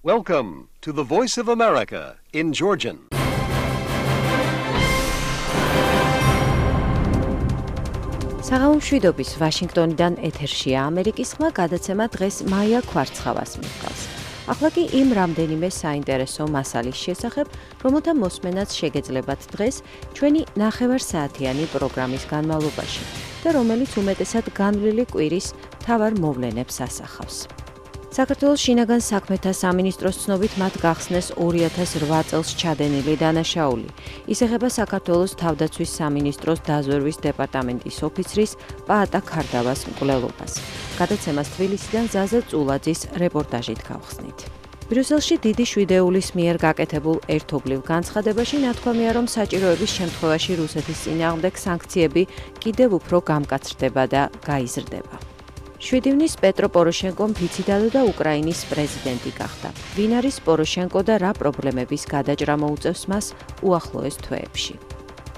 Welcome to the Voice of America in Georgian. საღამომშვიდობის ვაშინგტონიდან ეთერშია ამერიკის ხმა გადაცემა დღეს მაია ქვარცხავას მიჰყავს. ახლა კი იმ რამდენიმე საინტერესო მასალის შესახებ, რომელთა მოსმენაც შეგეძლებათ დღეს ჩვენი ნახევარსაათიანი პროგრამის განმავლობაში და რომელიც უმეტესად განვლილი კვირის მთავარ მოვლენებს ასახავს. საქართველოს შინაგან საქმეთა სამინისტროს ცნობით მათ გახსნეს 2008 წელს ჩადენილი დანაშაული. ის ეხება საქართველოს თავდაცვის სამინისტროს დაზვერვის დეპარტამენტის ოფიცრის პაატა ქარდავას მკვლელობას. გადაცემას თბილისიდან ზაზა წულაძის რეპორტაჟით გავხსნით. ბრიუსელში დიდი შვიდეულის მიერ გაკეთებულ ერთობლივ განცხადებაში ნათქვამია, რომ საჭიროების შემთხვევაში რუსეთის წინააღმდეგ სანქციები კიდევ უფრო გამკაცრდება და გაიზრდება. 7 ივნის პეტრო პოროშენკომ ფიციდადო და უკრაინის პრეზიდენტი გახდა. ვინ არის პოროშენკო და რა პრობლემების გადაჭრა მოუწევს მას უახლოეს თვეებში.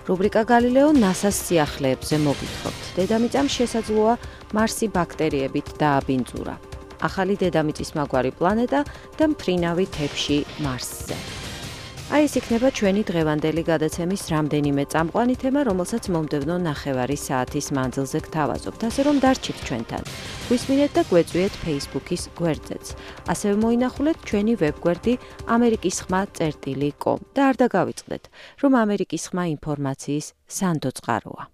რუბრიკა გალილეო ნასას სიახლეებზე მოგითხრობთ. დედამიწამ შესაძლოა მარსი ბაქტერიებით დააბინძურა. ახალი დედამიწის მაგვარი პლანეტა და მთრინავი თეფში მარსზე. აი ეს იქნება ჩვენი დღევანდელი გადაცემის რამდენიმე წამყვანი თემა, რომელსაც მომდევნო ნახევარი საათის მანძილზე გთავაზობთ, ასე რომ დარჩით ჩვენთან. გვისმინეთ და გვეწვიეთ Facebook-ის გვერდზეც. ასევე მოინახულეთ ჩვენი ვებგვერდი amerikisxma.com და არ დაგავიწყდეთ, რომ ამერიკის ხმა ინფორმაციის სანდო წყაროა.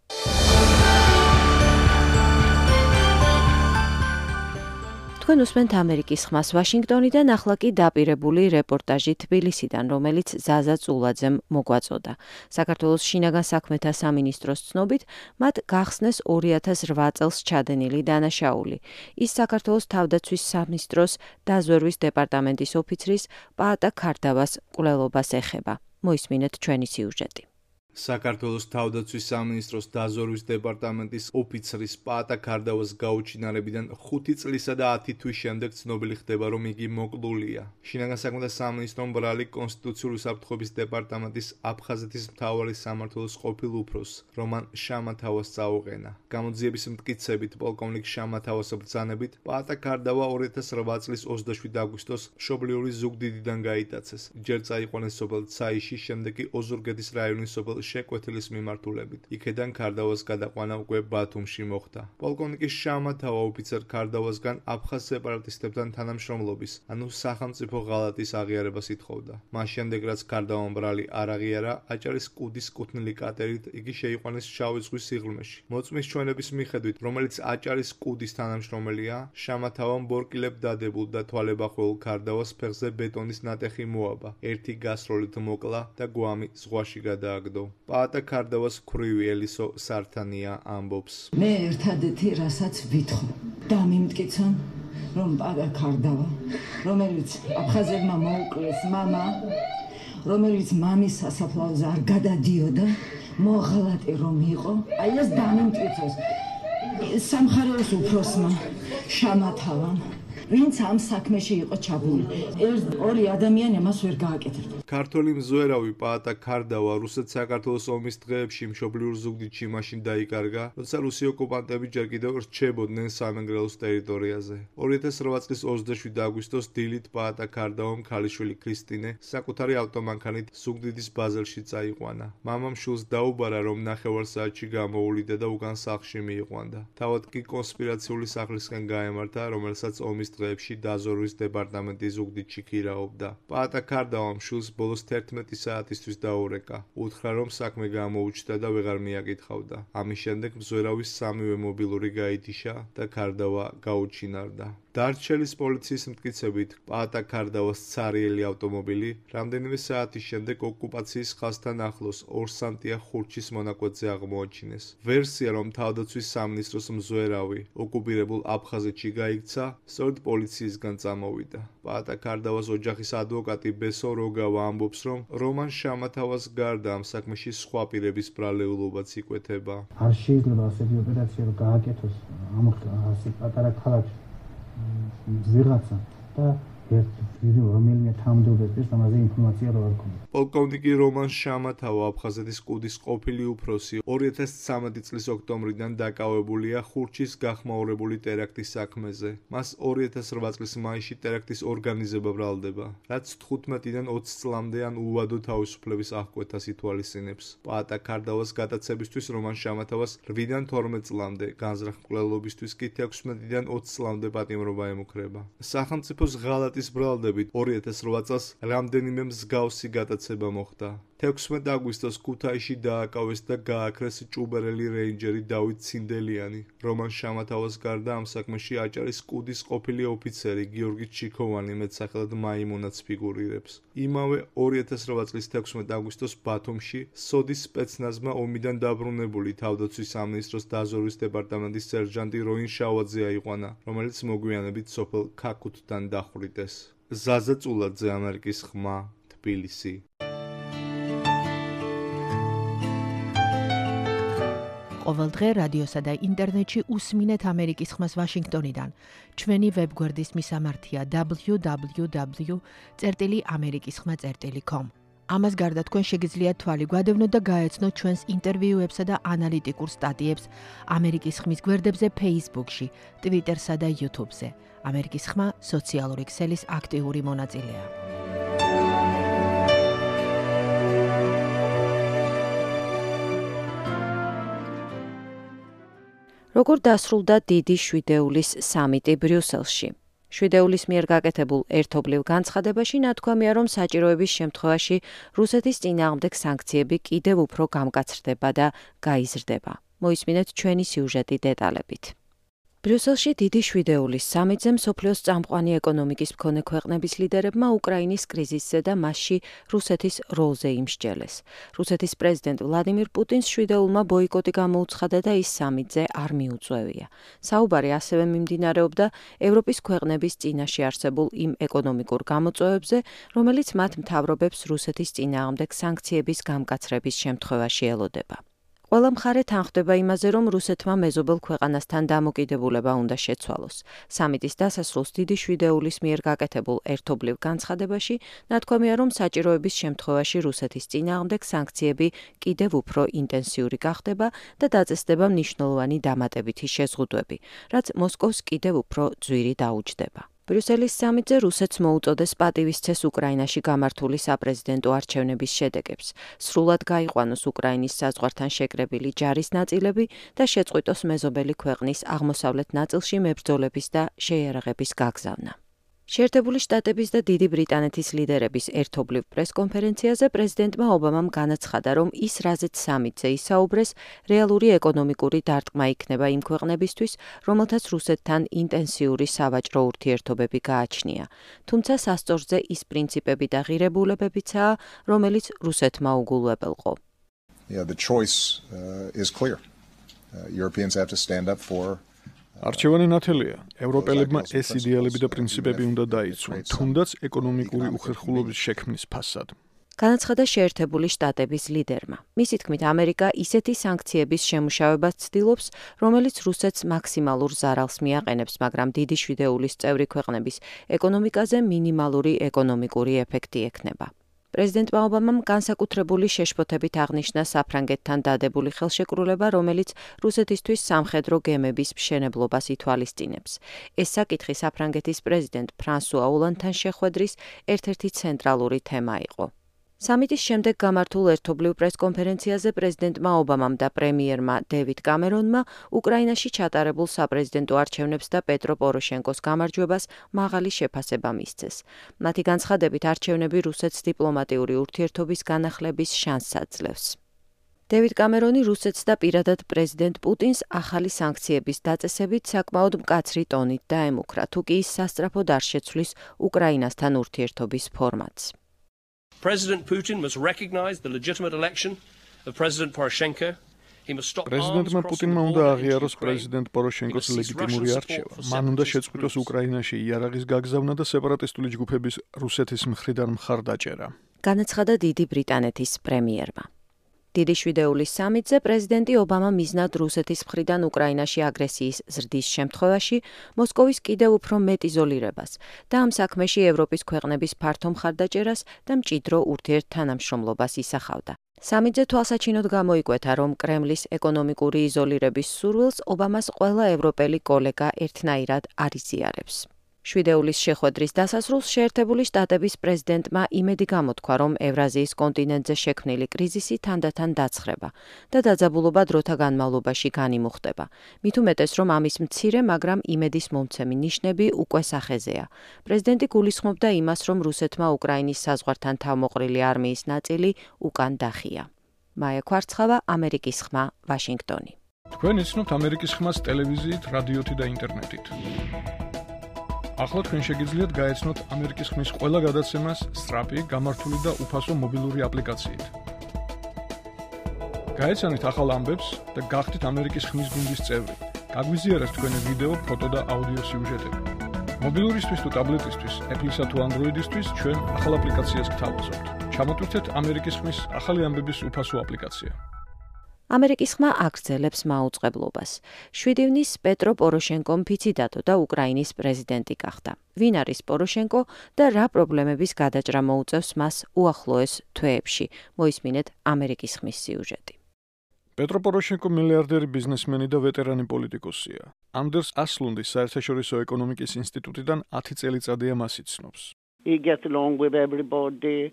თქვენ უსმენთ ამერიკის ხმას ვაშინგტონიდან, ახლა კი დაპირებული რეპორტაჟი თბილისიდან, რომელიც ზაზა წულაძემ მოგვაწოდა. საქართველოს შინაგან საქმეთა სამინისტროს ცნობით, მათ გახსნეს 2008 წელს ჩადენილი დანაშაული. ის საქართველოს თავდაცვის სამინისტროს დაზვერვის დეპარტამენტის ოფიცრის პაატა ქარდავას მკვლელობას ეხება. მოისმინეთ ჩვენი სიუჟეტი. საქართველოს თავდაცვის სამინისტროს დაზვერვის დეპარტამენტის ოფიცრის პაატა ქარდავას გაუჩინარებიდან 5 წლისა და 10 თვის შემდეგ ცნობილი ხდება, რომ იგი მოკლულია. შინაგან საქმეთა სამინისტრომ ბრალი კონსტიტუციური უსაფრთხოების დეპარტამენტის აფხაზეთის მთავარი სამმართველოს ყოფილ უფროსს, რომან შამათავას წაუყენა. გამოძიების მტკიცებით, პოლკოვნიკ შამათავას ბრძანებით, პაატა ქარდავა 2008 წლის 27 აგვისტოს მშობლიური ზუგდიდიდან გაიტაცეს. ჯერ წაიყვანეს სოფელ ცაიში, შემდეგ კი ოზურგეთის რაიონის სოფელ შეკვეთილის მიმართულებით. იქედან ქარდავას გადაყვანა უკვე ბათუმში მოხდა. პოლკოვნიკი შამათავა ოფიცერ ქარდავასგან აფხაზ სეპარატისტებთან თანამშრომლობის, ანუ სახელმწიფო ღალატის აღიარებას ითხოვდა. მას შემდეგ, რაც ქარდავამ ბრალი არ აღიარა, აჭარის კუდის კუთვნილი კატერით იგი შეიყვანეს შავი ზღვის სიღრმეში. მოწმის ჩვენების მიხედვით, რომელიც აჭარის კუდის თანამშრომელია, შამათავამ ბორკილებ დადებულ და თვალებახველულ ქარდავას ფეხზე ბეტონის ნატეხი მოაბა. ერთი გასროლით მოკლა და გვამი ზღვაში გადააგდო. პაატა ქარდავას ქვრივი ელისო სართანია ამბობს. მე ერთადერთი რასაც ვითხოვ, დამიმტკიცონ, რომ პაატა ქარდავა, რომელიც აფხაზებმა მოუკლეს მამა, რომელიც მამის სასაფლაოზე არ გადადიოდა, მოღალატე რომ იყო, აი ეს დამიმტკიცოს სამხარეოს უფროსმა შამათავამ, ვინც ამ საქმეში იყო ჩაბმული. ორი ადამიანი ამას ვერ გააკეთებდა. ქართველი მზვერავი პაატა ქარდავა რუსეთ-საქართველოს ომის დღეებში მშობლიურ ზუგდიდში მაშინ დაიკარგა, როცა რუსი ოკუპანტები ჯერ კიდევ რჩებოდნენ სამეგრელოს ტერიტორიაზე. 2008 წლის 27 აგვისტოს დილით პაატა ქარდავამ ქალიშვილი ქრისტინე საკუთარი ავტომანქანით ზუგდიდის ბაზელში წაიყვანა. მამამ შვილს დაუბარა, რომ ნახევარსაათში გამოუვლიდა და უკან სახლში მიიყვანდა. თავად კი კონსპირაციული სახლისკენ გაემართა, რომელსაც ომის დღეებში დაზვერვის დეპარტამენტი ზუგდიდში ქირაობდა. პაატა ქარდავამ შვილს ბოლოს 11 საათისთვის დაურეკა. უთხრა, რომ საქმე გამოუჩნდა და ვეღარ მიაკითხავდა. ამის შემდეგ მზვერავის სამივე მობილური გაითიშა და ქარდავა გაუჩინარდა. დარჩელის პოლიციის მტკიცებით, პაატა ქარდავას ცარიელი ავტომობილი რამდენიმე საათის შემდეგ ოკუპაციის ხაზთან ახლოს ორსანტია ხურჩის მონაკვეთზე აღმოაჩინეს. ვერსია, რომ თავდაცვის სამინისტროს მზვერავი ოკუპირებულ აფხაზეთში გაიქცა, სწორედ პოლიციისგან წამოვიდა. პაატა ქარდავას ოჯახის ადვოკატი ბესო როგავა ამბობს, რომ რომან შამათავას გარდა ამ საქმეში სხვა პირების ბრალეულობაც იკვეთება. არ შეიძლება ასეთი ოპერაცია გააკეთოს ამ ასეთ პატარა ქალაქში. ვიღაცა და რომელიმე თანამდებობისთვის ამაზე ინფორმაცია რა არ ქონდა. პოლკოვნიკი რომან შამათავა, აფხაზეთის კუდის ყოფილი უფროსი, 2013 წლის ოქტომბრიდან დაკავებულია ხურჩის გახმაურებული ტერაქტის საქმეზე. მას 2008 წლის მაისში ტერაქტის ორგანიზება ბრალდება, რაც 15-დან 20 წლამდე ან უვადო თავისუფლების აღკვეთას ითვალისწინებს. პაატა ქარდავას გადაცებისთვის რომან შამათავას 8-დან 12 წლამდე, განზრახ მკვლელობისთვის კი 16-დან 20 წლამდე პატიმრობა ემუქრება. სახელმწიფოს ღალატის ბრალდებით 2008 წელს რამდენიმე მსგავსი გადაცება მოხდა. 16 აგვისტოს ქუთაისში დააკავეს და გააქრეს ჭუბერელი რეინჯერი დავით ცინდელიანი. რომან შამათავას გარდა ამ საქმეში აჭარის კუდის ყოფილი ოფიცერი გიორგი ჩიქოვანი მეტსახელად მაიმუნაც ფიგურირებს. იმავე 2008 წლის 16 აგვისტოს ბათუმში სოდის სპეცნაზმა ომიდან დაბრუნებული თავდაცვის სამინისტროს დაზვერვის დეპარტამენტის სერჟანტი როინ შავაძე აიყვანა, რომელიც მოგვიანებით სოფელ ქაქუთთან დახვრიტეს. ზაზა წულაძე, ამერიკის ხმა, თბილისი. ყოველდღე რადიოსა და ინტერნეტში უსმინეთ ამერიკის ხმას ვაშინგტონიდან. ჩვენი ვებგვერდის მისამართია www.amerikiskhma.com. ამას გარდა თქვენ შეგიძლიათ თვალი გვადევნოთ და გაეცნოთ ჩვენს ინტერვიუებსა და ანალიტიკურ სტატიებს ამერიკის ხმის გვერდებზე Facebook-ში, Twitter-სა და YouTube-ზე. ამერიკის ხმა სოციალური ქსელის აქტიური მონაწილეა. როგორ დასრულდა დიდი შვიდეულის სამიტი ბრიუსელში? შვიდეულის მიერ გაკეთებულ ერთობლივ განცხადებაში ნათქვამია, რომ საჭიროების შემთხვევაში რუსეთის წინააღმდეგ სანქციები კიდევ უფრო გამკაცრდება და გაიზრდება. მოისმინეთ ჩვენი სიუჟეტი დეტალებით. ბრიუსელში დიდი შვიდეულის სამიტზე მსოფლიოს წამყვანი ეკონომიკის მქონე ქვეყნების ლიდერებმა უკრაინის კრიზისზე და მასში რუსეთის როლზე იმსჯელეს. რუსეთის პრეზიდენტ ვლადიმირ პუტინს შვიდეულმა ბოიკოტი გამოუცხადა და ის სამიტზე არ მიუწვევია. საუბარი ასევე მიმდინარეობდა ევროპის ქვეყნების წინაშე არსებულ იმ ეკონომიკურ გამოწვევებზე, რომელიც მათ მთავრობებს რუსეთის წინააღმდეგ სანქციების გამკაცრების შემთხვევაში ელოდება. ყველა მხარე თანხმდება იმაზე, რომ რუსეთმა მეზობელ ქვეყანასთან დამოკიდებულება უნდა შეცვალოს. სამიტის დასასრულს დიდი შვიდეულის მიერ გაკეთებულ ერთობლივ განცხადებაში ნათქვამია, რომ საჭიროების შემთხვევაში რუსეთის წინააღმდეგ სანქციები კიდევ უფრო ინტენსიური გახდება და დაწესდება მნიშვნელოვანი დამატებითი შეზღუდვები, რაც მოსკოვს კიდევ უფრო ძვირი დაუჯდება. ბრიუსელის სამიტზე რუსეთს მოუწოდეს პატივისცეს უკრაინაში გამართული საპრეზიდენტო არჩევნების შედეგებს, სრულად გაიყვანოს უკრაინის საზღვართან შეკრებილი ჯარის ნაწილები და შეწყვიტოს მეზობელი ქვეყნის აღმოსავლეთ ნაწილში მებრძოლების და შეიარაღების გაგზავნა. შეერთებული შტატების და დიდი ბრიტანეთის ლიდერების ერთობლივ პრესკონფერენციაზე პრეზიდენტმა ობამამ განაცხადა, რომ ის რაზეც სამიტზე ისაუბრეს, რეალური ეკონომიკური დარტყმა იქნება იმ ქვეყნებისთვის, რომელთაც რუსეთთან ინტენსიური სავაჭრო ურთიერთობები გააჩნია. თუმცა სასწორზე ის პრინციპები და ღირებულებებიცაა, რომელიც რუსეთმა უგულვებელყო. The choice is clear. Europeans have to stand up for არჩევანი ნათელია. ევროპელებმა ეს იდეალები და პრინციპები უნდა დაიცვან, თუნდაც ეკონომიკური უხერხულობის შექმნის ფასად. განაცხადა შეერთებული შტატების ლიდერმა. მისი თქმით, ამერიკა ისეთი სანქციების შემუშავებას ცდილობს, რომელიც რუსეთს მაქსიმალურ ზარალს მიაყენებს, მაგრამ დიდი შვიდეულის წევრი ქვეყნების ეკონომიკაზე მინიმალური ეკონომიკური ეფექტი ექნება. პრეზიდენტმა ობამამ განსაკუთრებული შეშფოთებით აღნიშნა საფრანგეთთან დადებული ხელშეკრულება, რომელიც რუსეთისთვის სამხედრო გემების მშენებლობას ითვალისწინებს. ეს საკითხი საფრანგეთის პრეზიდენტ ფრანსუა ოლანდთან შეხვედრის ერთ-ერთი ცენტრალური თემა იყო. სამიტის შემდეგ გამართულ ერთობლივ პრესკონფერენციაზე პრეზიდენტმა ობამამ და პრემიერმა დევიდ კამერონმა უკრაინაში ჩატარებულ საპრეზიდენტო არჩევნებს და პეტრო პოროშენკოს გამარჯვებას მაღალი შეფასება მისცეს. მათი განცხადებით არჩევნები რუსეთს დიპლომატიური ურთიერთობის განახლების შანსს აძლევს. დევიდ კამერონი რუსეთს და პირადად პრეზიდენტ პუტინს ახალი სანქციების დაწესებით საკმაოდ მკაცრი ტონით დაემუქრა, თუ კი ის სასწრაფოდ არ შეცვლის უკრაინასთან ურთიერთობის ფორმატს. President Putin must recognize the legitimate election of President Poroshenko. პრეზიდენტმა პუტინმა უნდა აღიაროს პრეზიდენტ პოროშენკოს ლეგიტიმური არჩევა. მან უნდა შეწყვიტოს უკრაინაში იარაღის გაგზავნა და სეპარატისტული ჯგუფების რუსეთის მხრიდან მხარდაჭერა. განაცხადა დიდი ბრიტანეთის პრემიერმა. დიდი შვიდეულის სამიტზე პრეზიდენტი ობამა მიზნად რუსეთის მხრიდან უკრაინაში აგრესიის ზრდის შემთხვევაში მოსკოვის კიდევ უფრო მეტ იზოლირებას და ამ საქმეში ევროპის ქვეყნების ფართო მხარდაჭერას და მჭიდრო ურთიერთთანამშრომლობას ისახავდა. სამიტზე თვალსაჩინოდ გამოიკვეთა, რომ კრემლის ეკონომიკური იზოლირების სურვილს ობამას ყველა ევროპელი კოლეგა ერთნაირად არ იზიარებს. შვიდეულის შეხვედრის დასასრულს შეერთებული შტატების პრეზიდენტმა იმედი გამოთქვა, რომ ევრაზიის კონტინენტზე შექმნილი კრიზისი თანდათან დაცხრება და დაძაბულობა დროთა განმავლობაში განიმუხტება. მით უმეტეს, რომ ამის მცირე, მაგრამ იმედის მომცემი ნიშნები უკვე სახეზეა. პრეზიდენტი გულისხმობდა იმას, რომ რუსეთმა უკრაინის საზღვართან თავმოყრილი არმიის ნაწილი უკან დახია. მაია კვარცხავა, ამერიკის ხმა, ვაშინგტონი. თქვენ იცნობთ ამერიკის ხმას ტელევიზიით, რადიოთი და ინტერნეტით. ახლა თქვენ შეგიძლიათ გაეცნოთ ამერიკის ხმის ყველა გადაცემას სწრაფი, გამართული და უფასო მობილური აპლიკაციით. გაეცანით ახალ ამბებს და გახდით ამერიკის ხმის გუნდის წევრი. გაგვიზიარეთ თქვენი ვიდეო, ფოტო და აუდიო სიუჟეტები. მობილურისთვის თუ ტაბლეტისთვის, Apple-ისა თუ Android-ისთვის ჩვენ ახალ აპლიკაციას გთავაზობთ. ჩამოტვირთეთ ამერიკის ხმის ახალი ამბების უფასო აპლიკაცია. ამერიკის ხმა აგრძელებს მაუწყებლობას. 7 ივნის პეტრო პოროშენკომ ფიცი დადო და უკრაინის პრეზიდენტი გახდა. ვინ არის პოროშენკო და რა პრობლემების გადაჭრა მოუწევს მას უახლოეს თვეებში? მოისმინეთ ამერიკის ხმის სიუჟეტი. პეტრო პოროშენკო მილიარდერი ბიზნესმენი და ვეტერანი პოლიტიკოსია. ანდერს ასლუნდის საერთაშორისო ეკონომიკის ინსტიტუტიდან 10 წელიწადია მას იცნობს. He gets along with everybody.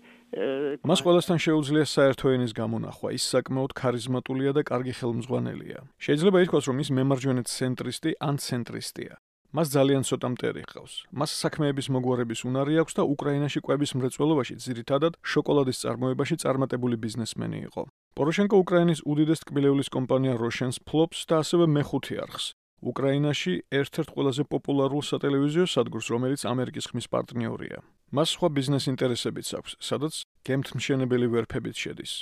მას ყველასთან შეუძლია საერთო ენის გამონახვა, ის საკმაოდ ქარიზმატულია და კარგი ხელმძღვანელია. შეიძლება ითქვას, რომ ის მემარჯვენე ცენტრისტი ან ცენტრისტია. მას ძალიან ცოტა მტერი ჰყავს. მას საქმეების მოგვარების უნარი აქვს და უკრაინაში კვების მრეწველობაში ძირითადად შოკოლადის წარმოებაში წარმატებული ბიზნესმენი იყო. პოროშენკო უკრაინის უდიდეს ტკბილეულის კომპანია როშენს ფლობს და ასევე მეხუთე არხს. უკრაინაში ერთ-ერთ ყველაზე პოპულარულ სატელევიზიო სადგურს, რომელიც ამერიკის ხმის პარტნიორია. მას სხვა ბიზნეს ინტერესებიც აქვს, სადაც გემთმშენებელი ვერფებიც შედის.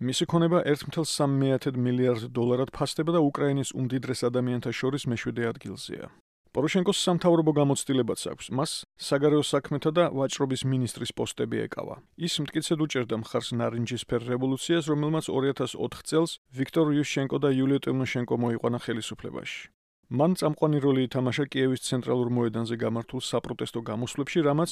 მისი ქონება 1.3 მილიარდ დოლარად ფასდება და უკრაინის უმდიდრეს ადამიანთა შორის მე-7 ადგილზეა. პოროშენკოს სამთავრობო გამოცდილებაც აქვს. მას საგარეო საქმეთა და ვაჭრობის მინისტრის პოსტები ეკავა. ის მტკიცედ უჭერდა მხარს ნარინჯისფერ რევოლუციას, რომელმაც 2004 წელს ვიქტორ იუშენკო და იულია ტიმოშენკო მოიყვანა ხელისუფლებაში. მან წამყვანი როლი ითამაშა კიევის ცენტრალურ მოედანზე გამართულ საპროტესტო გამოსვლებში, რამაც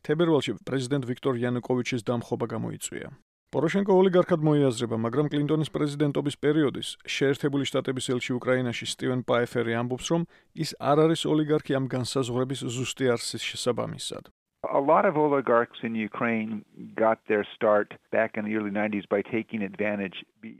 თებერვალში პრეზიდენტ ვიქტორ იანუკოვიჩის დამხობა გამოიწვია. პოროშენკო ოლიგარქად მოიაზრება, მაგრამ კლინტონის პრეზიდენტობის პერიოდის შეერთებული შტატების ელჩი უკრაინაში სტივენ პაეფერი ამბობს, რომ ის არ არის ოლიგარქი ამ განსაზღვრების ზუსტი არსის შესაბამისად. A lot of oligarchs in Ukraine got their start back in the early 90s by taking advantage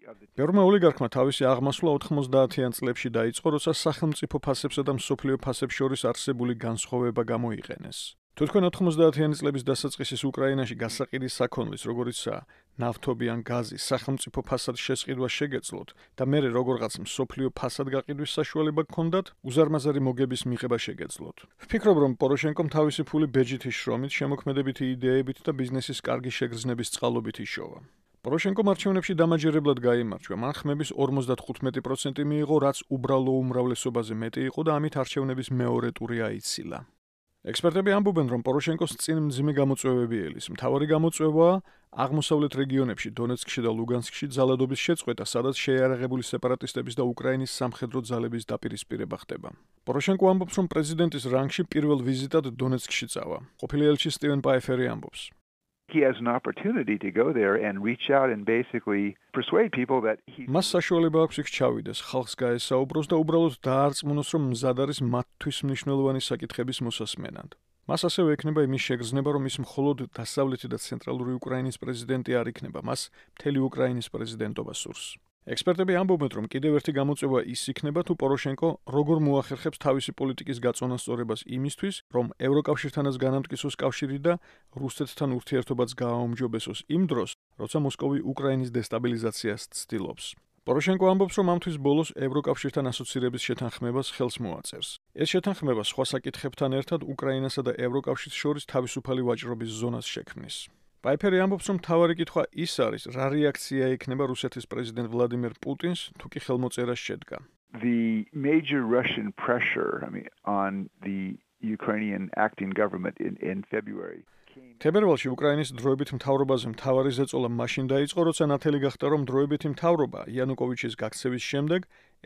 of the ბევრმა ოლიგარქმა თავისი აღმასვლა 90-იან წლებში დაიწყო, როცა სახელმწიფო ფასებსა და მსოფლიო ფასებს შორის არსებული განსხვავება გამოიყენეს. თუ თქვენ 90-იანი წლების დასაწყისის უკრაინაში გასაყიდის საქონლის, როგორიცაა ნავთობი ან გაზი, სახელმწიფო ფასად შესყიდვა შეგეძლოთ და მერე როგორღაც მსოფლიო ფასად გაყიდვის საშუალება გქონდათ, უზარმაზარი მოგების მიღება შეგეძლოთ. ვფიქრობ, რომ პოროშენკომ თავისი ფული ბეჯითის შრომით, შემოქმედებითი იდეებით და ბიზნესის კარგი შეგრძნების წყალობით იშოვა. პოროშენკომ არჩევნებში დამაჯერებლად გაიმარჯვა. მან ხმების 55% მიიღო, რაც უბრალო უმრავლესობაზე მეტი იყო და ამით არჩევნების მეორე ტური აიცილა. ექსპერტები ამბობენ, რომ პოროშენკოს წინ მძიმე გამოწვევები ელის. მთავარი გამოწვევაა აღმოსავლეთ რეგიონებში, დონეცკში და ლუგანსკში ძალადობის შეწყვეტა, სადაც შეიარაღებული სეპარატისტების და უკრაინის სამხედრო ძალების დაპირისპირება ხდება. პოროშენკო ამბობს, რომ პრეზიდენტის რანგში პირველ ვიზიტად დონეცკში წავა. ყოფილი ელჩი სტივენ პაეფერი ამბობს. He has an opportunity to go there and reach out and basically persuade people that he მას საშუალება აქვს იქ ჩავიდეს, ხალხს გაესაუბროს და უბრალოდ დაარწმუნოს, რომ მზად არის მათთვის მნიშვნელოვანი საკითხების მოსასმენად. მას ასევე ექნება იმის შეგრძნება, რომ ის მხოლოდ დასავლეთი და ცენტრალური უკრაინის პრეზიდენტი არ იქნება, მას მთელი უკრაინის პრეზიდენტობა სურს. ექსპერტები ამბობენ, რომ კიდევ ერთი გამოწვევა ის იქნება, თუ პოროშენკო როგორ მოახერხებს თავისი პოლიტიკის გაწონასწორებას იმისთვის, რომ ევროკავშირთანაც განამტკიცოს კავშირი და რუსეთთან ურთიერთობაც გააუმჯობესოს იმ დროს, როცა მოსკოვი უკრაინის დესტაბილიზაციას ცდილობს. პოროშენკო ამბობს, რომ ამთვის ბოლოს ევროკავშირთან ასოცირების შეთანხმებას ხელს მოაწერს. ეს შეთანხმება სხვა საკითხებთან ერთად უკრაინასა და ევროკავშირის შორის თავისუფალი ვაჭრობის ზონას შექმნის. პაეფერი ამბობს, რომ მთავარი კითხვა ის არის, რა რეაქცია ექნება რუსეთის პრეზიდენტ ვლადიმერ პუტინს, თუ კი ხელმოწერას შედგა. The major Russian pressure, on the Ukrainian acting government in February თებერვალში უკრაინის დროებით მთავრობაზე მთავარი ზეწოლა მაშინ დაიწყო, როცა ნათელი გახდა, რომ დროებითი მთავრობა იანუკოვიჩის გაქცევის შემდეგ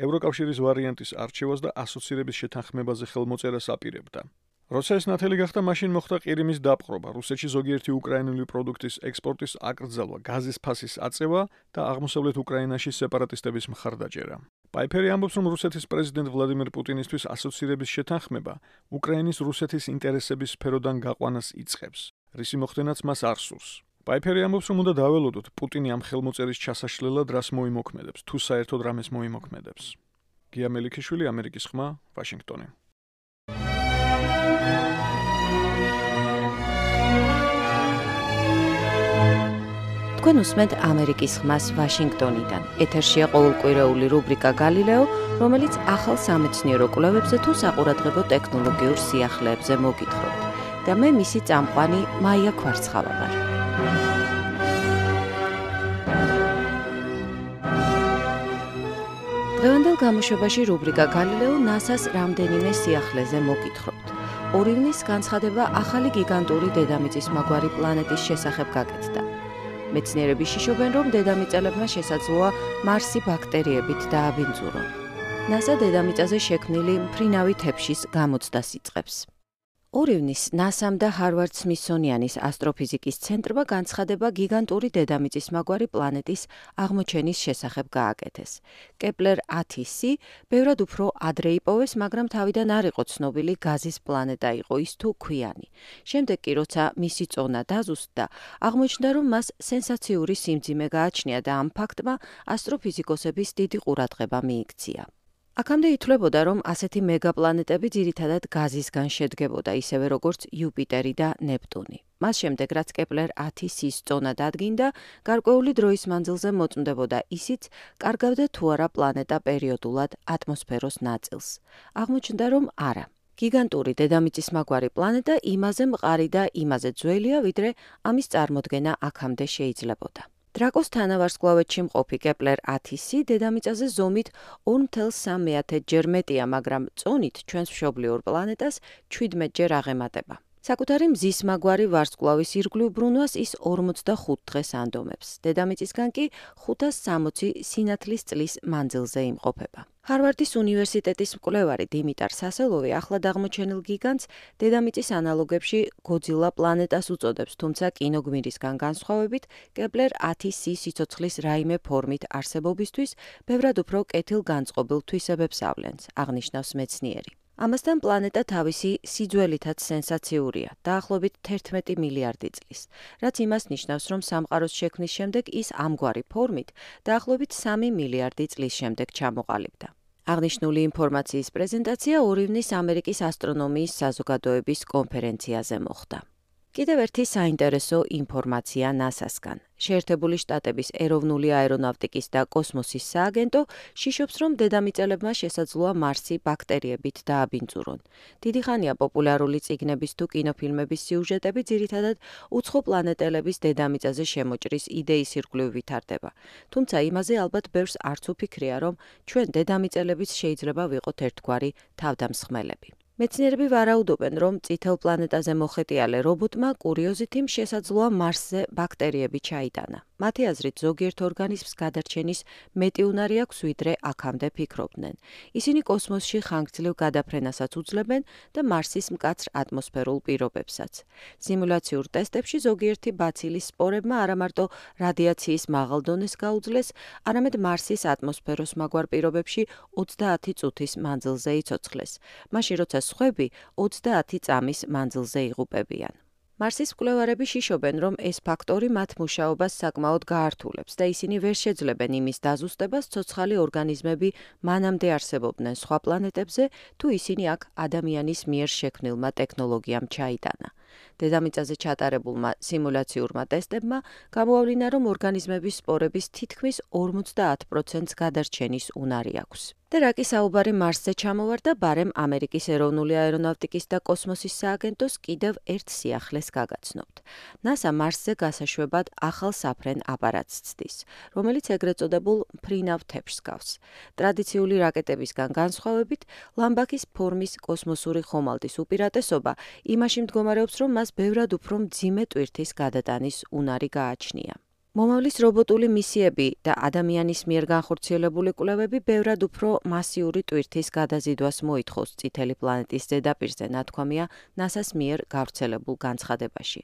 ევროკავშირის ვარიანტის არჩევას და ასოცირების შეთანხმებაზე ხელმოწერას აპირებდა. როცა ეს ნათელი გახდა, მაშინ მოხდა ყირიმის დაპყრობა, რუსეთში ზოგიერთი უკრაინული პროდუქტის ექსპორტის აკრძალვა, გაზის ფასის აწევა და აღმოსავლეთ უკრაინაში სეპარატისტების მხარდაჭერა. პაიფერი ამბობს, რომ რუსეთის პრეზიდენტ ვლადიმერ პუტინისთვის ასოცირების შეთანხმება უკრაინის რუსეთის ინტერესების სფეროდან გაყვანას იწყებს, რისი მოხდენაც მას არ სურს. პაიფერი ამბობს, რომ უნდა დაველოდოთ პუტინი ამ ხელმოწერის ჩასაშლელად რას მოიმოქმედებს, თუ საერთოდ რამეს მოიმოქმედებს. გია მელიქიშვილი, ამერიკის ხმა, ვაშინგტონი. თქვენ უსმენთ ამერიკის ხმას ვაშინგტონიდან. ეთერშია ყოველკვირეული რუბრიკა გალილეო, რომელიც ახალ სამეცნიერო კვლევებზე თუ საყურადღებო ტექნოლოგიურ სიახლეებზე მოგითხრობთ. და მე მისი წამყვანი მაია ქვარცხავა ვარ. დღევანდელ გამოშვებაში რუბრიკა გალილეო NASA-ს რამდენიმე სიახლეზე მოგითხრობთ. 2 ივნის განცხადება ახალი გიგანტური დედამიწის მაგვარი პლანეტის შესახებ გაკეთდა. მეცნიერები შიშობენ, რომ დედამიწელებმა შესაძლოა მარსი ბაქტერიებით დააბინძურონ. NASA დედამიწაზე შექმნილი მფრინავი თეფშის გამოცდას იწყებს. 2 ივნის NASA-მ და ჰარვარდ-სმითსონიანის ასტროფიზიკის ცენტრმა განცხადება გიგანტური დედამიწის მაგვარი პლანეტის აღმოჩენის შესახებ გააკეთეს. კეპლერ 10c ბევრად უფრო ადრე იპოვეს, მაგრამ თავიდან არ იყო ცნობილი გაზის პლანეტა იყო ის თუ ქვიანი. შემდეგ კი, როცა მისი წონა დაზუსტდა, აღმოჩნდა, რომ მას სენსაციური სიმძიმე გააჩნია და ამ ფაქტმა ასტროფიზიკოსების დიდი ყურადღება მიიქცია. აქამდე ითვლებოდა, რომ ასეთი მეგაპლანეტები ძირითადად გაზისგან შედგებოდა, ისევე როგორც იუპიტერი და ნეპტუნი. მას შემდეგ, რაც კეპლერ 10c-ის წონა დადგინდა, გარკვეული დროის მანძილზე მოწმდებოდა ისიც, კარგავდა თუ არა პლანეტა პერიოდულად ატმოსფეროს ნაწილს. აღმოჩნდა, რომ არა. გიგანტური დედამიწის მაგვარი პლანეტა იმაზე მყარი და იმაზე ძველია, ვიდრე ამის წარმოდგენა აქამდე შეიძლებოდა. დრაკოს თანავარსკვლავედში მყოფი კეპლერ 10c დედამიწაზე ზომით 2.3 ჯერ მეტია, მაგრამ წონით ჩვენს მშობლიურ პლანეტას 17 ჯერ აღემატება. საკუთარი მზის მაგვარი ვარსკვლავის ირგვლივ ბრუნვას ის 45 დღეს ანდომებს. დედამიწისგან კი 560 სინათლის წლის მანძილზე იმყოფება. ჰარვარდის უნივერსიტეტის მკვლევარი დიმიტარ სასელოვი ახლად აღმოჩენილ გიგანტს დედამიწის ანალოგებში გოძილა პლანეტას უწოდებს, თუმცა კინოგმირისგან განსხვავებით, კეპლერ 10c სიცოცხლის რაიმე ფორმით არსებობისთვის ბევრად უფრო კეთილგანწყობილ თვისებებს ავლენს, აღნიშნავს მეცნიერი. ამასთან პლანეტა თავისი სიძველითაც სენსაციურია, დაახლოებით 11 მილიარდი წლის, რაც იმას ნიშნავს, რომ სამყაროს შექმნის შემდეგ ის ამგვარი ფორმით დაახლოებით 3 მილიარდი წლის შემდეგ ჩამოყალიბდა. აღნიშნული ინფორმაციის პრეზენტაცია 2 ივნის ამერიკის ასტრონომიის საზოგადოების კონფერენციაზე მოხდა. კიდევ ერთი საინტერესო ინფორმაცია NASA-სგან. შეერთებული შტატების ეროვნული აერონავტიკის და კოსმოსის სააგენტო შიშობს, რომ დედამიწელებმა შესაძლოა მარსი ბაქტერიებით დააბინძურონ. დიდი ხანია პოპულარული წიგნების თუ კინოფილმების სიუჟეტები ძირითადად უცხო პლანეტელების დედამიწაზე შემოჭრის იდეის ირგვლივ ვითარდება. თუმცა იმაზე ალბათ ბევრს არც უფიქრია, რომ ჩვენ დედამიწელებიც შეიძლება ვიყოთ ერთგვარი თავდამსხმელები. მეცნიერები ვარაუდობენ, რომ წითელ პლანეტაზე მოხეტიალე რობოტმა კურიოზითიმ შესაძლოა მარსზე ბაქტერიები ჩაიტანა. მათი აზრით, ზოგიერთ ორგანიზმს გადარჩენის მეტი უნარი აქვს, ვიდრე აქამდე ფიქრობდნენ. ისინი კოსმოსში ხანგრძლივ გადაფრენასაც უძლებენ და მარსის მკაცრ ატმოსფერულ პირობებსაც. სიმულაციურ ტესტებში ზოგიერთი ბაცილის სპორებმა არამარტო რადიაციის მაღალ დონეს გაუძლეს, არამედ მარსის ატმოსფეროს მაგვარ პირობებში 30 წუთის მანძილზე იცოცხლეს. მაშინ როცა სხვები 30 წამის მანძილზე იღუპებიან. მარსის მკვლევარები შიშობენ, რომ ეს ფაქტორი მათ მუშაობას საკმაოდ გაართულებს და ისინი ვერ შეძლებენ იმის დაზუსტებას, ცოცხალი ორგანიზმები მანამდე არსებობდნენ სხვა პლანეტებზე, თუ ისინი აქ ადამიანის მიერ შექმნილმა ტექნოლოგიამ ჩაიტანა. დედამიწაზე ჩატარებულმა სიმულაციურმა ტესტებმა გამოავლინა, რომ ორგანიზმების სპორების თითქმის 50%-ს გადარჩენის უნარი აქვს. და რა კი საუბარი მარსზე ჩამოვარდა, ბარემ ამერიკის ეროვნული აერონავტიკის და კოსმოსის სააგენტოს კიდევ ერთ სიახლეს გაგაცნობთ. NASA მარსზე გასაშვებად ახალ საფრენ აპარატს ცდის, რომელიც ეგრეთ წოდებულ მფრინავ თეფშს გავს. ტრადიციული რაკეტებისგან განსხვავებით, ლამბაქის ფორმის კოსმოსური ხომალდის უპირატესობა იმაში მდგომარეობს, რომ მას მას ბევრად უფრო მძიმე ტვირთის გადატანის უნარი გააჩნია. მომავლის რობოტული მისიები და ადამიანის მიერ განხორციელებული კვლევები ბევრად უფრო მასიური ტვირთის გადაზიდვას მოითხოვს წითელი პლანეტის ზედაპირზე, ნათქვამია NASA-ს მიერ გავრცელებულ განცხადებაში.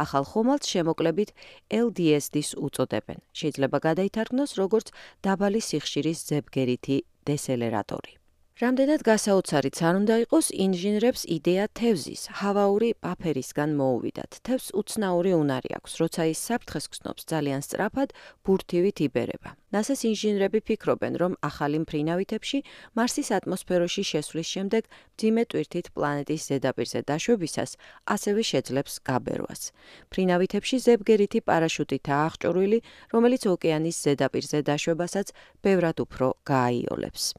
ახალ ხომალდს შემოკლებით LDSD-ს უწოდებენ. შეიძლება გადაითარგმნოს როგორც დაბალი სიხშირის ზებგერითი დესელერატორი. რამდენად გასაოცარიც არ უნდა იყოს, ინჟინრებს იდეა თევზის, ჰავაური პაფერისგან მოუვიდათ. თევზს უცნაური უნარი აქვს, როცა ის საფრთხეს გრძნობს, ძალიან სწრაფად ბურთივით იბერება. NASA-ს ინჟინრები ფიქრობენ, რომ ახალი მფრინავითებში მარსის ატმოსფეროში შესვლის შემდეგ მძიმე ტვირთით პლანეტის ზედაპირზე დაშვებისას ასევე შეძლებს გაბერვას. მფრინავითებში ზებგერითი პარაშუტითაა აღჭურვილი, რომელიც ოკეანის ზედაპირზე დაშვებასაც ბევრად უფრო გააიოლებს.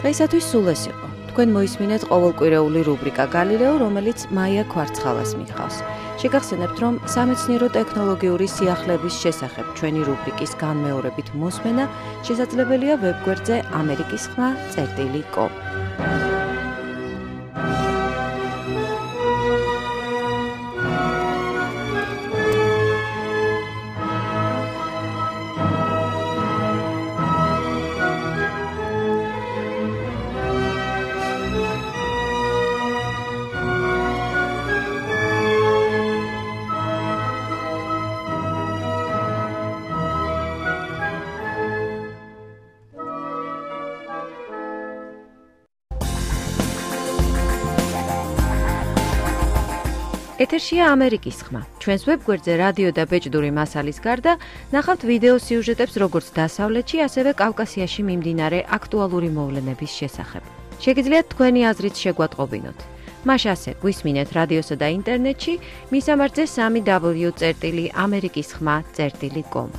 დღეისათვის სულ ეს იყო. თქვენ მოისმინეთ ყოველკვირეული რუბრიკა გალილეო, რომელიც მაია კვარცხალას მიჰყავს. შეგახსენებთ, რომ სამეცნიერო ტექნოლოგიური სიახლეების შესახებ ჩვენი რუბრიკის განმეორებით მოსმენა შესაძლებელია ვებგვერდზე amerikisxma.com. ეთერშია ამერიკის ხმა. ჩვენს ვებგვერდზე რადიო და ბეჭდური მასალის გარდა ნახავთ ვიდეო სიუჟეტებს როგორც დასავლეთში, ასევე კავკასიაში მიმდინარე აქტუალური მოვლენების შესახებ. შეგიძლიათ თქვენი აზრით შეგვატყობინოთ. მას ასე გვისმინეთ რადიოსა და ინტერნეტში, მისამართზე www.amerikisxma.com.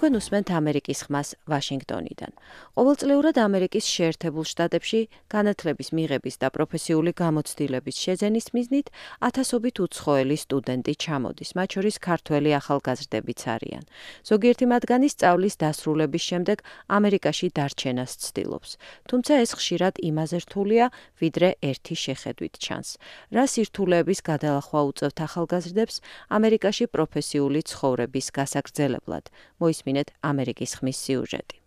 თქვენ უსმენთ ამერიკის ხმას ვაშინგტონიდან. ყოველწლიურად ამერიკის შეერთებულ შტატებში განათლების მიღების და პროფესიული გამოცდილების შეძენის მიზნით ათასობით უცხოელი სტუდენტი ჩამოდის, მათ შორის ქართველი ახალგაზრდებიც არიან. ზოგიერთი მათგანი სწავლის დასრულების შემდეგ ამერიკაში დარჩენას ცდილობს. თუმცა ეს ხშირად იმაზე რთულია, ვიდრე ერთი შეხედვით ჩანს. რა სირთულეების გადალახვა უწევთ ახალგაზრდებს ამერიკაში პროფესიული ცხოვრების გასაგრძელებლად? მოისმინეთ ამერიკის ხმის სიუჟეტი.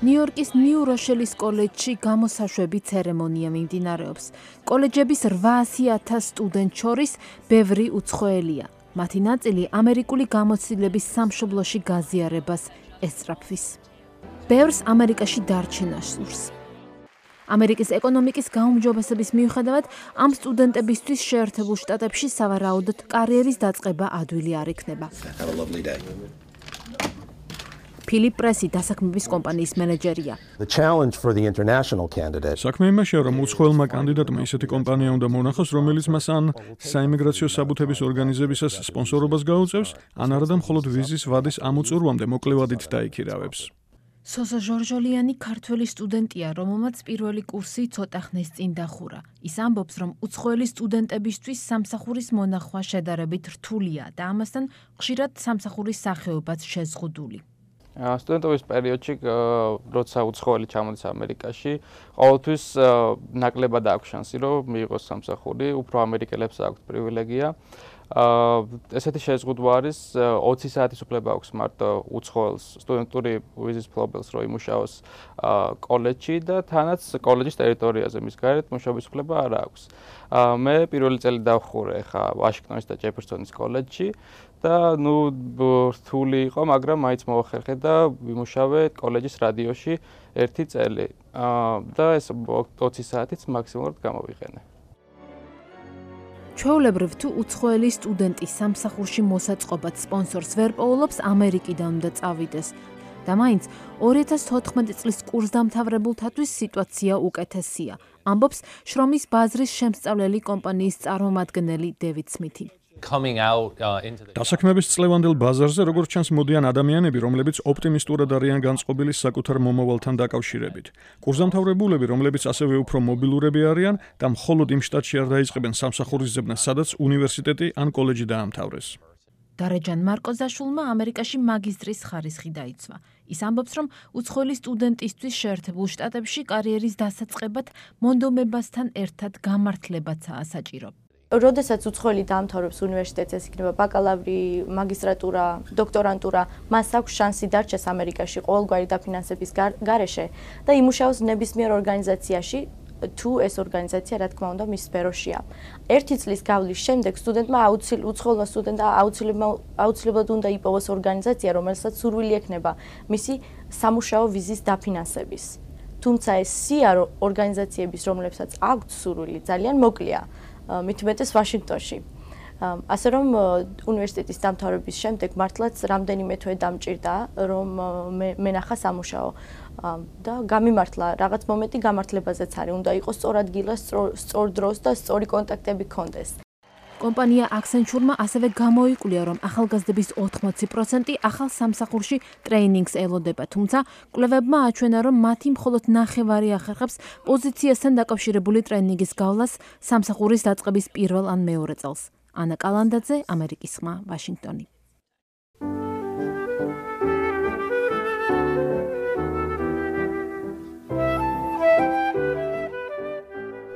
ნიუ-იორკის ნიუ-როშელის კოლეჯში გამოსაშვები ცერემონია მიმდინარეობს. კოლეჯების 800,000 სტუდენტ შორის ბევრი უცხოელია. მათი ნაწილი ამერიკული გამოცდილების სამშობლოში გაზიარებას ესწრაფვის. ბევრს ამერიკაში დარჩენა სურს. ამერიკის ეკონომიკის გაუმჯობესების მიუხედავად, ამ სტუდენტებისთვის შეერთებულ შტატებში სავარაუდოდ კარიერის დაწყება ადვილი არ იქნება. ფილიპ პრესი დასაქმების კომპანიის მენეჯერია. საქმე იმაშია, რომ უცხოელმა კანდიდატმა ისეთი კომპანია უნდა მონახოს, რომელიც მას ან საიმიგრაციო საბუთების ორგანიზებისას სპონსორობას გაუწევს, ან არადა მხოლოდ ვიზის ვადის ამოწურვამდე მოკლევადით დაიქირავებს. სოზო ჟორჟოლიანი ქართველი სტუდენტია, რომელმაც პირველი კურსი ცოტა ხნის წინ დახურა. ის ამბობს, რომ უცხოელი სტუდენტებისთვის სამსახურის მონახვა შედარებით რთულია და ამასთან ხშირად სამსახურის სახეობაც შეზღუდული. სტუდენტობის პერიოდში, როცა უცხოელი ჩამოდის ამერიკაში, ყოველთვის ნაკლებად აქვს შანსი, რომ მიიღოს სამსახური, უფრო ამერიკელებს აქვთ პრივილეგია. ესეთი შეზღუდვა არის 20 საათის უფლება აქვს მარტო უცხოელს სტუდენტური ვიზის მფლობელს, რომ იმუშაოს კოლეჯში და თანაც კოლეჯის ტერიტორიაზე მის გარეთ მუშაობის უფლება არ აქვს. მე პირველი წელი დავხურე ხა ვაშინგტონის და ჯეფერსონის კოლეჯში და რთული იყო, მაგრამ მაინც მოვახერხე და ვიმუშავე კოლეჯის რადიოში 1 წელი. და ეს 20 საათიც მაქსიმალურად გამოვიყენე. ჩვეულებრივ თუ უცხოელი სტუდენტი სამსახურში მოსაწყობად სპონსორს ვერ პოულობს, ამერიკიდან უნდა წავიდეს. და მაინც 2014 წლის კურსდამთავრებულთათვის სიტუაცია უკეთესია, ამბობს შრომის ბაზრის შემსწავლელი კომპანიის წარმომადგენელი დევიდ სმითი. დასაქმების წლევანდელ ბაზარზე როგორც ჩანს მოდიან ადამიანები, რომლებიც ოპტიმისტურად არიან განწყობილი საკუთარ მომავალთან დაკავშირებით. კურსდამთავრებულები, რომლებიც ასევე უფრო მობილურები არიან და მხოლოდ იმ შტატში არ დაიწყებენ სამსახურის ძებნას, სადაც უნივერსიტეტი ან კოლეჯი დაამთავრეს. დარეჯან მარკოზაშვილმა ამერიკაში მაგისტრის ხარისხი დაიცვა. ის ამბობს, რომ უცხოელი სტუდენტისთვის შეერთებულ შტატებში კარიერის დასაწყებად მონდომებასთან ერთად გამართლებაცაა საჭირო. როდესაც უცხოელი დაამთავრებს უნივერსიტეტს, ეს იქნება ბაკალავრი, მაგისტრატურა, დოქტორანტურა, მას აქვს შანსი დარჩეს ამერიკაში ყოველგვარი დაფინანსების გარეშე და იმუშაოს ნებისმიერ ორგანიზაციაში, თუ ეს ორგანიზაცია, რა თქმა უნდა, მის სფეროშია. ერთი წლის გავლის შემდეგ სტუდენტმა უცხოელმა სტუდენტმა აუცილებლად უნდა იპოვოს ორგანიზაცია, რომელსაც სურვილი ექნება მისი სამუშაო ვიზის დაფინანსების. თუმცა ეს სია ორგანიზაციების, რომლებსაც აქვთ სურვილი, ძალიან მოკლეა. მით უმეტეს ვაშინგტონში. ასე რომ უნივერსიტეტის დამთავრების შემდეგ მართლაც რამდენიმე თვე დამჭირდა, რომ მენახა სამუშაო და გამიმართლა რაღაც მომენტი გამართლებაზეც არის. უნდა იყოს სწორ ადგილას, სწორ დროს და სწორი კონტაქტები ჰქონდეს. კომპანია Accenture-მა ასევე გამოიკვლია, რომ ახალგაზრდების 80% ახალ სამსახურში ტრეინინგს ელოდება, თუმცა კვლევებმა აჩვენა, რომ მათი მხოლოდ ნახევარი ახერხებს პოზიციასთან დაკავშირებული ტრეინინგის გავლას სამსახურის დაწყების პირველ ან მეორე წელს. ანა კალანდაძე, ამერიკის ხმა, ვაშინგტონი.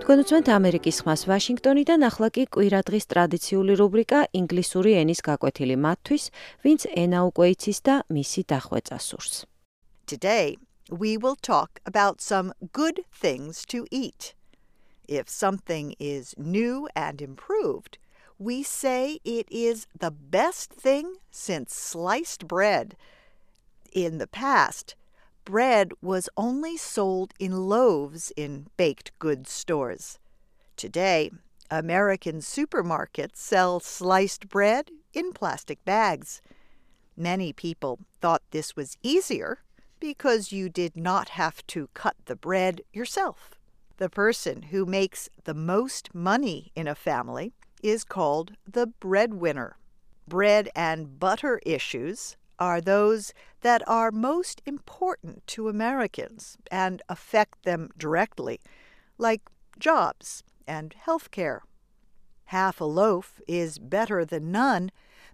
თქვენ უცმენთ ამერიკის ხმას ვაშინგტონიდან, ახლა კი კვირადღის ტრადიციული რუბრიკა ინგლისური ენის გაკვეთილი მათთვის, ვინც ენა უკვე იცის და მისი დახვეწა სურს. Today we will talk about some good things to eat. If something is new and improved, we say it is the best thing since sliced bread. In the past, bread was only sold in loaves in baked goods stores. Today, American supermarkets sell sliced bread in plastic bags. Many people thought this was easier because you did not have to cut the bread yourself. The person who makes the most money in a family is called the breadwinner. Bread and butter issues are those that are most important to Americans and affect them directly, like jobs and health care. Half a loaf is better than none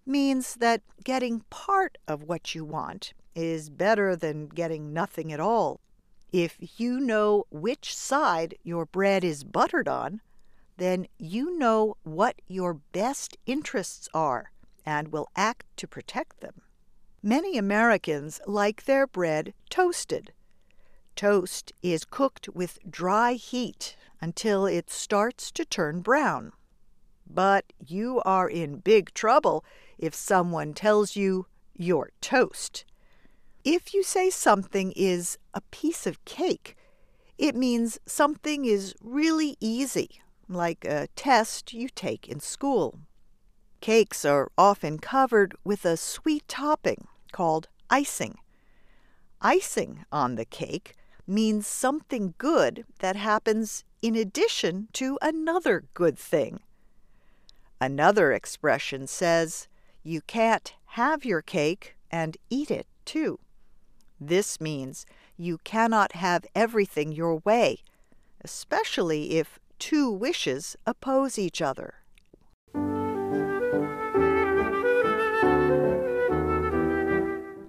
means that getting part of what you want is better than getting nothing at all. If you know which side your bread is buttered on, then you know what your best interests are and will act to protect them. Many Americans like their bread toasted. Toast is cooked with dry heat until it starts to turn brown. But you are in big trouble if someone tells you you're toast. If you say something is a piece of cake, it means something is really easy, like a test you take in school. Cakes are often covered with a sweet topping called icing. Icing on the cake means something good that happens in addition to another good thing. Another expression says, you can't have your cake and eat it too. This means you cannot have everything your way, especially if two wishes oppose each other.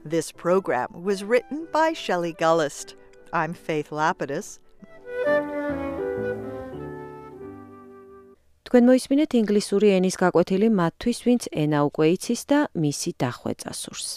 This program was written by Shelley Gullist. I'm Faith Lapidus. თქვენ მოისმინეთ ინგლისური ენის გაკვეთილი მათთვის, ვინც ენა უკვე იცის და მისი დახვეწა სურს.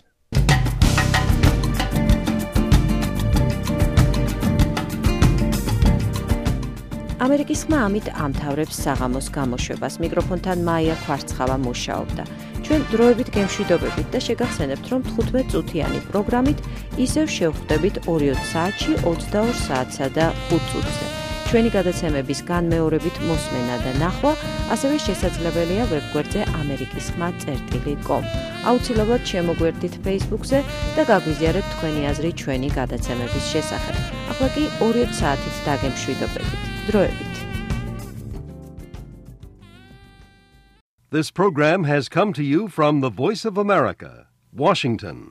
ამერიკის ხმა ამით ამთავრებს საღამოს გამოშვებას. მიკროფონთან მაია ქვარცხავა მუშაობდა. ჩვენ დროებით გემშვიდობებით და შეგახსენებთ, რომ 15 წუთიანი პროგრამით ისევ შევხვდებით 2 საათში 22 საათსა და 5 წუთზე. ჩვენი გადაცემების განმეორებით მოსმენა და ნახვა ასევე შესაძლებელია ვებგვერდზე amerikiskhma.com. აუცილებლად შემოგვერდით Facebook-ზე და გაგვიზიარეთ თქვენი აზრი ჩვენი გადაცემების შესახებ. ახლა კი 2 საათით დაგემშვიდობებით. დროებით. This program has come to you from the Voice of America, Washington.